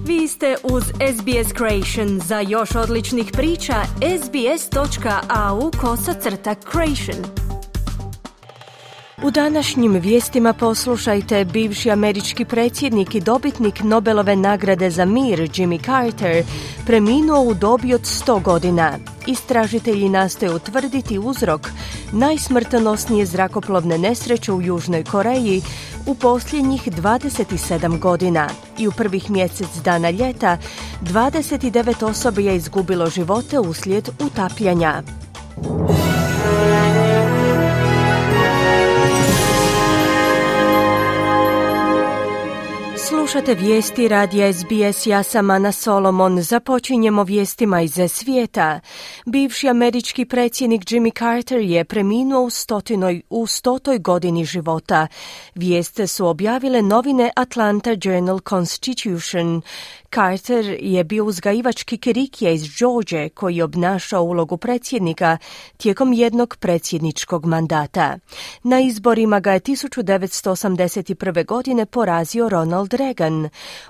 Vi ste uz SBS Creation. Za još odličnih priča, sbs.au/creation. U današnjim vijestima poslušajte: bivši američki predsjednik i dobitnik Nobelove nagrade za mir Jimmy Carter preminuo u dobi od 100 godina. Istražitelji nastoje utvrditi uzrok najsmrtonosnije zrakoplovne nesreće u Južnoj Koreji u posljednjih 27 godina. I u prvih mjesec dana ljeta 29 osoba je izgubilo živote uslijed utapljanja. Slušate vijesti radija SBS, ja sam Ana Solomon. Započinjemo vijestima iz svijeta. Bivši američki predsjednik Jimmy Carter je preminuo u 100. godini života. Vijest su objavile novine Atlanta Journal-Constitution. Carter je bio uzgajivač kikirikija iz George koji je obnašao ulogu predsjednika tijekom jednog predsjedničkog mandata. Na izborima ga je 1981. godine porazio Ronald Reagan.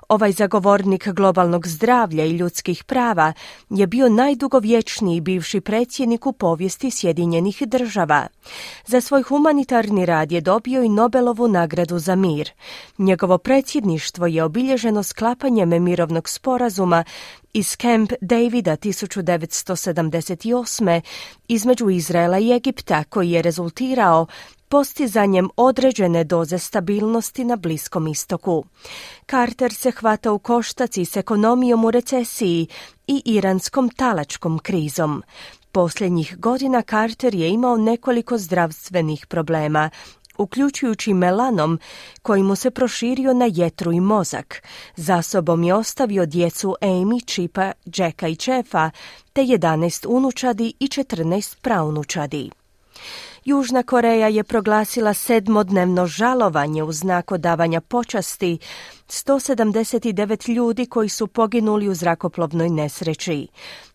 Ovaj zagovornik globalnog zdravlja i ljudskih prava je bio najdugovječniji bivši predsjednik u povijesti Sjedinjenih država. Za svoj humanitarni rad je dobio i Nobelovu nagradu za mir. Njegovo predsjedništvo je obilježeno sklapanjem mirovnog sporazuma iz Camp Davida 1978. između Izraela i Egipta, koji je rezultirao postizanjem određene doze stabilnosti na Bliskom istoku. Carter se hvata u koštac s ekonomijom u recesiji i iranskom talačkom krizom. Posljednjih godina Carter je imao nekoliko zdravstvenih problema, uključujući melanom koji mu se proširio na jetru i mozak. Za sobom je ostavio djecu Amy, Chipa, Jacka i Jeffa, te 11 unučadi i 14 praunučadi. Južna Koreja je proglasila 7-dnevno žalovanje u znak odavanja počasti 179 ljudi koji su poginuli u zrakoplovnoj nesreći.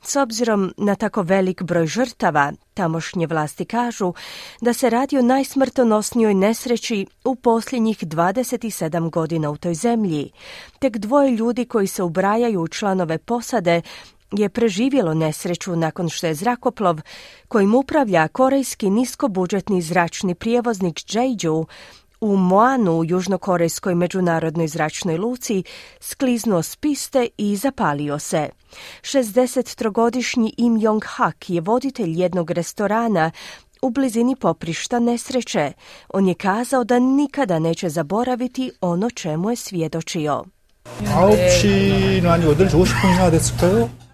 S obzirom na tako velik broj žrtava, tamošnje vlasti kažu da se radi o najsmrtonosnijoj nesreći u posljednjih 27 godina u toj zemlji. Tek 2 ljudi koji se ubrajaju u članove posade je preživjelo nesreću nakon što je zrakoplov kojim upravlja korejski niskobudžetni zračni prijevoznik Jeju u Muanu u južnokorejskoj međunarodnoj zračnoj luci skliznuo s piste i zapalio se. 63-godišnji Im Jong-hak je voditelj jednog restorana u blizini poprišta nesreće. On je kazao da nikada neće zaboraviti ono čemu je svjedočio.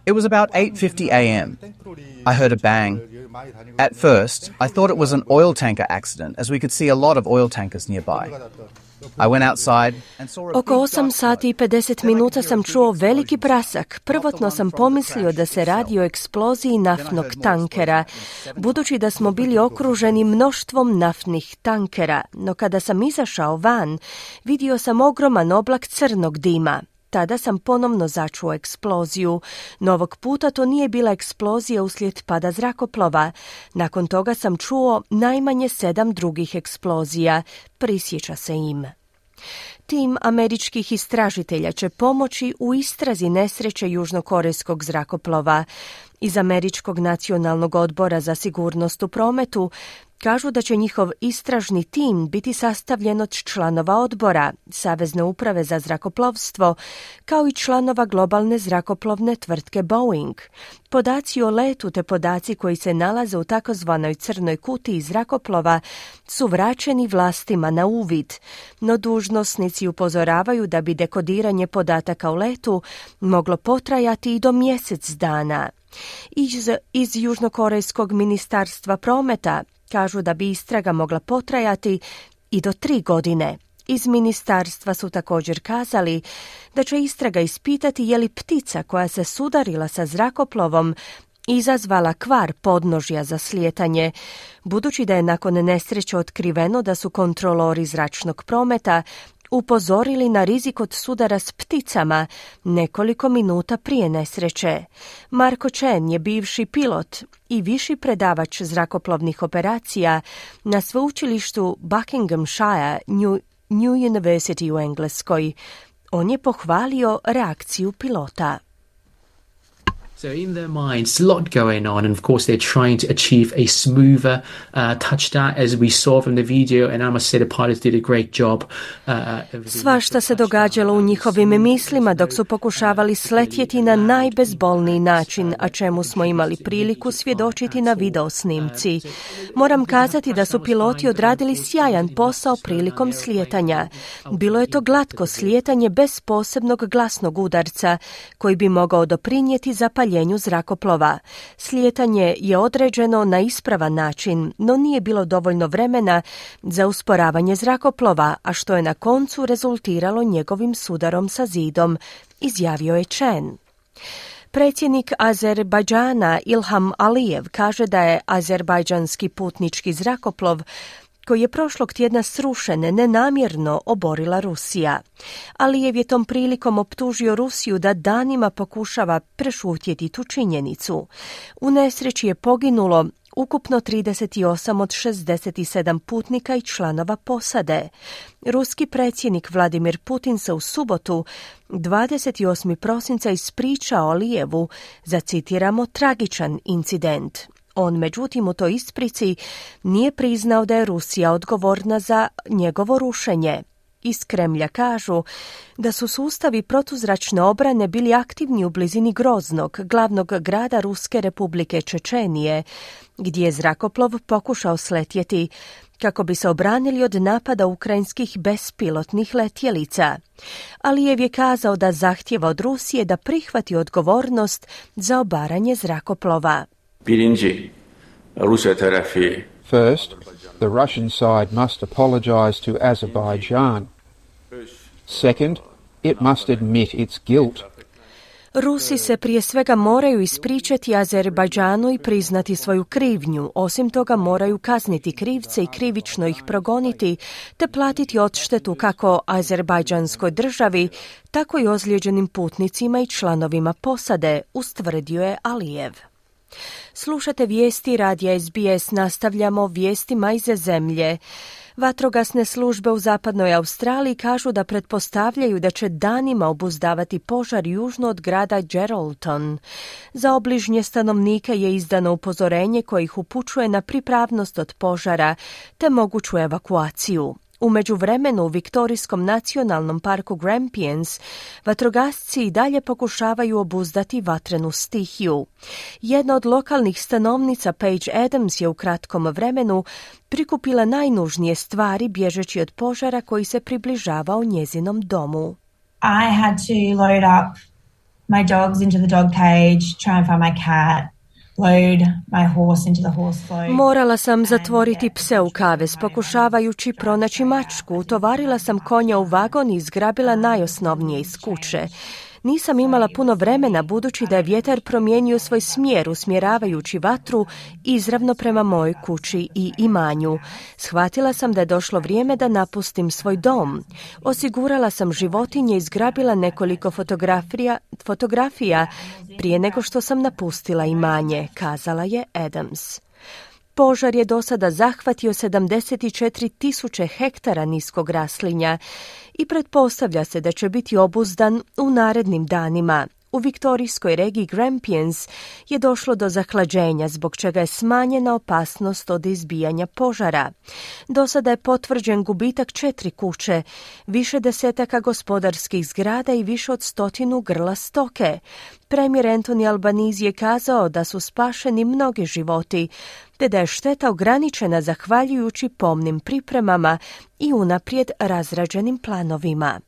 It was about 8:50 a.m. I heard a bang. At first, I thought it was an oil tanker accident, as we could see a lot of oil tankers nearby. I went outside and saw a... Oko 8 sati i 50 minuta sam čuo veliki prasak. Prvotno sam pomislio da se radi o eksploziji naftnog tankera, budući da smo bili okruženi mnoštvom naftnih tankera. No kada sam izašao van, vidio sam ogroman oblak crnog dima. Tada sam ponovno začuo eksploziju. No ovog puta to nije bila eksplozija uslijed pada zrakoplova. Nakon toga sam čuo najmanje 7 drugih eksplozija, prisjeća se Im. Tim američkih istražitelja će pomoći u istrazi nesreće južnokorejskog zrakoplova. Iz Američkog nacionalnog odbora za sigurnost u prometu kažu da će njihov istražni tim biti sastavljen od članova odbora, Savezne uprave za zrakoplovstvo, kao i članova globalne zrakoplovne tvrtke Boeing. Podaci o letu te podaci koji se nalaze u takozvanoj crnoj kutiji zrakoplova su vraćeni vlastima na uvid, no dužnosnici upozoravaju da bi dekodiranje podataka o letu moglo potrajati i do mjesec dana. Iz Južnokorejskog ministarstva prometa kažu da bi istraga mogla potrajati i do 3 godine. Iz ministarstva su također kazali da će istraga ispitati je li ptica koja se sudarila sa zrakoplovom izazvala kvar podnožja za slijetanje, budući da je nakon nesreće otkriveno da su kontrolori zračnog prometa upozorili na rizik od sudara s pticama nekoliko minuta prije nesreće. Marko Chen je bivši pilot i viši predavač zrakoplovnih operacija na sveučilištu Buckinghamshire New University u Engleskoj. On je pohvalio reakciju pilota. So in their minds, a lot going on, and of course they're trying to achieve a smoother touchdown, as we saw from the video, and I must say the pilots did a great job. Svašta se događalo u njihovim mislima dok su pokušavali sletjeti na najbezbolniji način, a čemu smo imali priliku svjedočiti na videosnimci. Moram kazati da su piloti odradili sjajan posao prilikom slijetanja. Bilo je to glatko slijetanje bez posebnog glasnog udarca koji bi mogao doprinijeti zapaljenju zrakoplova. Slijetanje je određeno na ispravan način, no nije bilo dovoljno vremena za usporavanje zrakoplova, a što je na koncu rezultiralo njegovim sudarom sa zidom, izjavio je Chen. Predsjednik Azerbajdžana Ilham Alijev kaže da je azerbajdžanski putnički zrakoplov koji je prošlog tjedna srušen nenamjerno oborila Rusija. Alijev je tom prilikom optužio Rusiju da danima pokušava prešutjeti tu činjenicu. U nesreći je poginulo ukupno 38 od 67 putnika i članova posade. Ruski predsjednik Vladimir Putin se u subotu 28. prosinca ispričao Alijevu za, citiramo, tragičan incident. On, međutim, u toj isprici nije priznao da je Rusija odgovorna za njegovo rušenje. Iz Kremlja kažu da su sustavi protuzračne obrane bili aktivni u blizini Groznog, glavnog grada Ruske republike Čečenije, gdje je zrakoplov pokušao sletjeti kako bi se obranili od napada ukrajinskih bespilotnih letjelica. Alijev je kazao da zahtjeva od Rusije da prihvati odgovornost za obaranje zrakoplova. First, the Russian side must apologize to Azerbaijan. Second, it must admit its guilt. Rusi se prije svega moraju ispričati Azerbajdžanu i priznati svoju krivnju. Osim toga moraju kazniti krivce i krivično ih progoniti, te platiti odštetu kako azerbajdžanskoj državi, tako i ozlijeđenim putnicima i članovima posade, ustvrdio je Alijev. Slušate vijesti radija SBS, nastavljamo vijestima iz zemlje. Vatrogasne službe u zapadnoj Australiji kažu da pretpostavljaju da će danima obuzdavati požar južno od grada Geraldton. Za obližnje stanovnike je izdano upozorenje koje ih upućuje na pripravnost od požara te moguću evakuaciju. U međuvremenu u Viktorijskom nacionalnom parku Grampians vatrogasci i dalje pokušavaju obuzdati vatrenu stihiju. Jedna od lokalnih stanovnica, Paige Adams, je u kratkom vremenu prikupila najnužnije stvari bježeći od požara koji se približavao njezinom domu. I had to load up my dogs into the dog cage, try and find my cat. Morala sam zatvoriti pse u kavez, pokušavajući pronaći mačku. Utovarila sam konja u vagon i zgrabila najosnovnije iz kuće. Nisam imala puno vremena budući da je vjetar promijenio svoj smjer usmjeravajući vatru izravno prema mojoj kući i imanju. Shvatila sam da je došlo vrijeme da napustim svoj dom. Osigurala sam životinje i zgrabila nekoliko fotografija prije nego što sam napustila imanje, kazala je Adams. Požar je do sada zahvatio 74.000 hektara niskog raslinja i pretpostavlja se da će biti obuzdan u narednim danima. U viktorijskoj regiji Grampians je došlo do zahlađenja, zbog čega je smanjena opasnost od izbijanja požara. Do sada je potvrđen gubitak 4 kuće, više desetaka gospodarskih zgrada i više od 100 grla stoke. Premijer Anthony Albanese je kazao da su spašeni mnogi životi, te da je šteta ograničena zahvaljujući pomnim pripremama i unaprijed razrađenim planovima.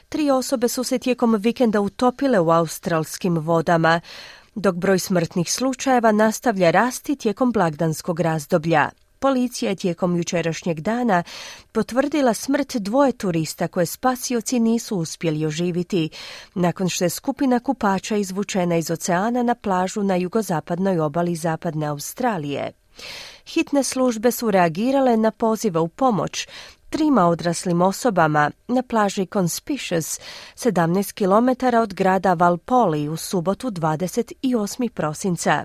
3 osobe su se tijekom vikenda utopile u australskim vodama, dok broj smrtnih slučajeva nastavlja rasti tijekom blagdanskog razdoblja. Policija je tijekom jučerašnjeg dana potvrdila smrt 2 turista koje spasioci nisu uspjeli oživiti, nakon što je skupina kupača izvučena iz oceana na plažu na jugozapadnoj obali zapadne Australije. Hitne službe su reagirale na pozive u pomoć 3 odraslim osobama na plaži Conspicuous, 17 km od grada Valpoli u subotu 28. prosinca.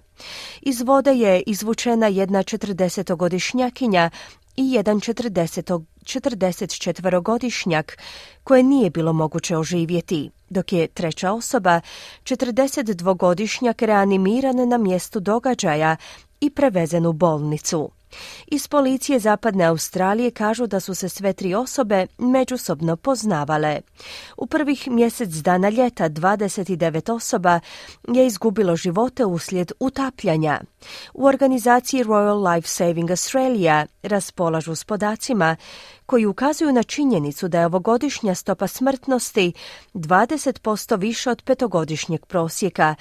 Iz vode je izvučena jedna 40-godišnjakinja i jedan 44-godišnjak koje nije bilo moguće oživjeti, dok je treća osoba, 42-godišnjak, reanimiran na mjestu događaja i prevezen u bolnicu. Iz policije Zapadne Australije kažu da su se sve tri osobe međusobno poznavale. U prvih mjesec dana ljeta 29 osoba je izgubilo živote uslijed utapljanja. U organizaciji Royal Life Saving Australia raspolažu s podacima koji ukazuju na činjenicu da je ovogodišnja stopa smrtnosti 20% više od petogodišnjeg prosjeka,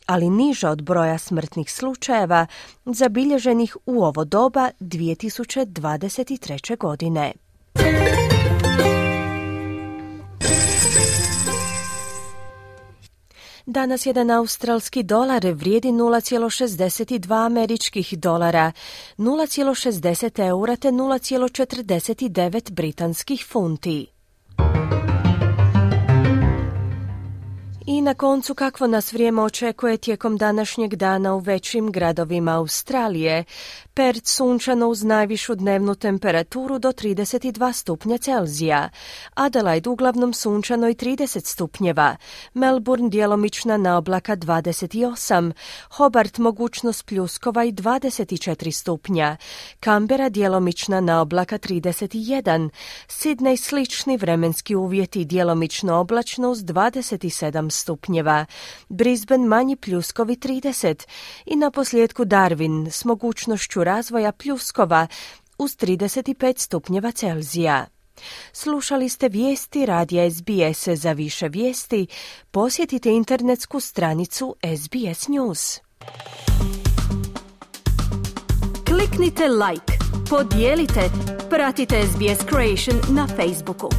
ali niža od broja smrtnih slučajeva zabilježenih u ovo doba 2023. godine. Danas jedan australski dolar vrijedi 0,62 američkih dolara, 0,60 eura te 0,49 britanskih funti. I na koncu, kakvo nas vrijeme očekuje tijekom današnjeg dana u većim gradovima Australije. Perth sunčano uz najvišu dnevnu temperaturu do 32 stupnja Celzija. Adelaide uglavnom sunčano i 30 stupnjeva. Melbourne djelomična naoblaka 28. Hobart mogućnost pljuskova i 24 stupnja. Canberra djelomična naoblaka 31. Sydney slični vremenski uvjeti, djelomično oblačno uz 27 stupnjeva. Brisbane manji pljuskovi 30. I na posljedku Darwin s mogućnošću razvoja pljuskova uz 35 stupnjeva Celzija. Slušali ste vijesti radija SBS. Za više vijesti posjetite internetsku stranicu SBS News. Kliknite like, podijelite, pratite SBS Creation na Facebooku.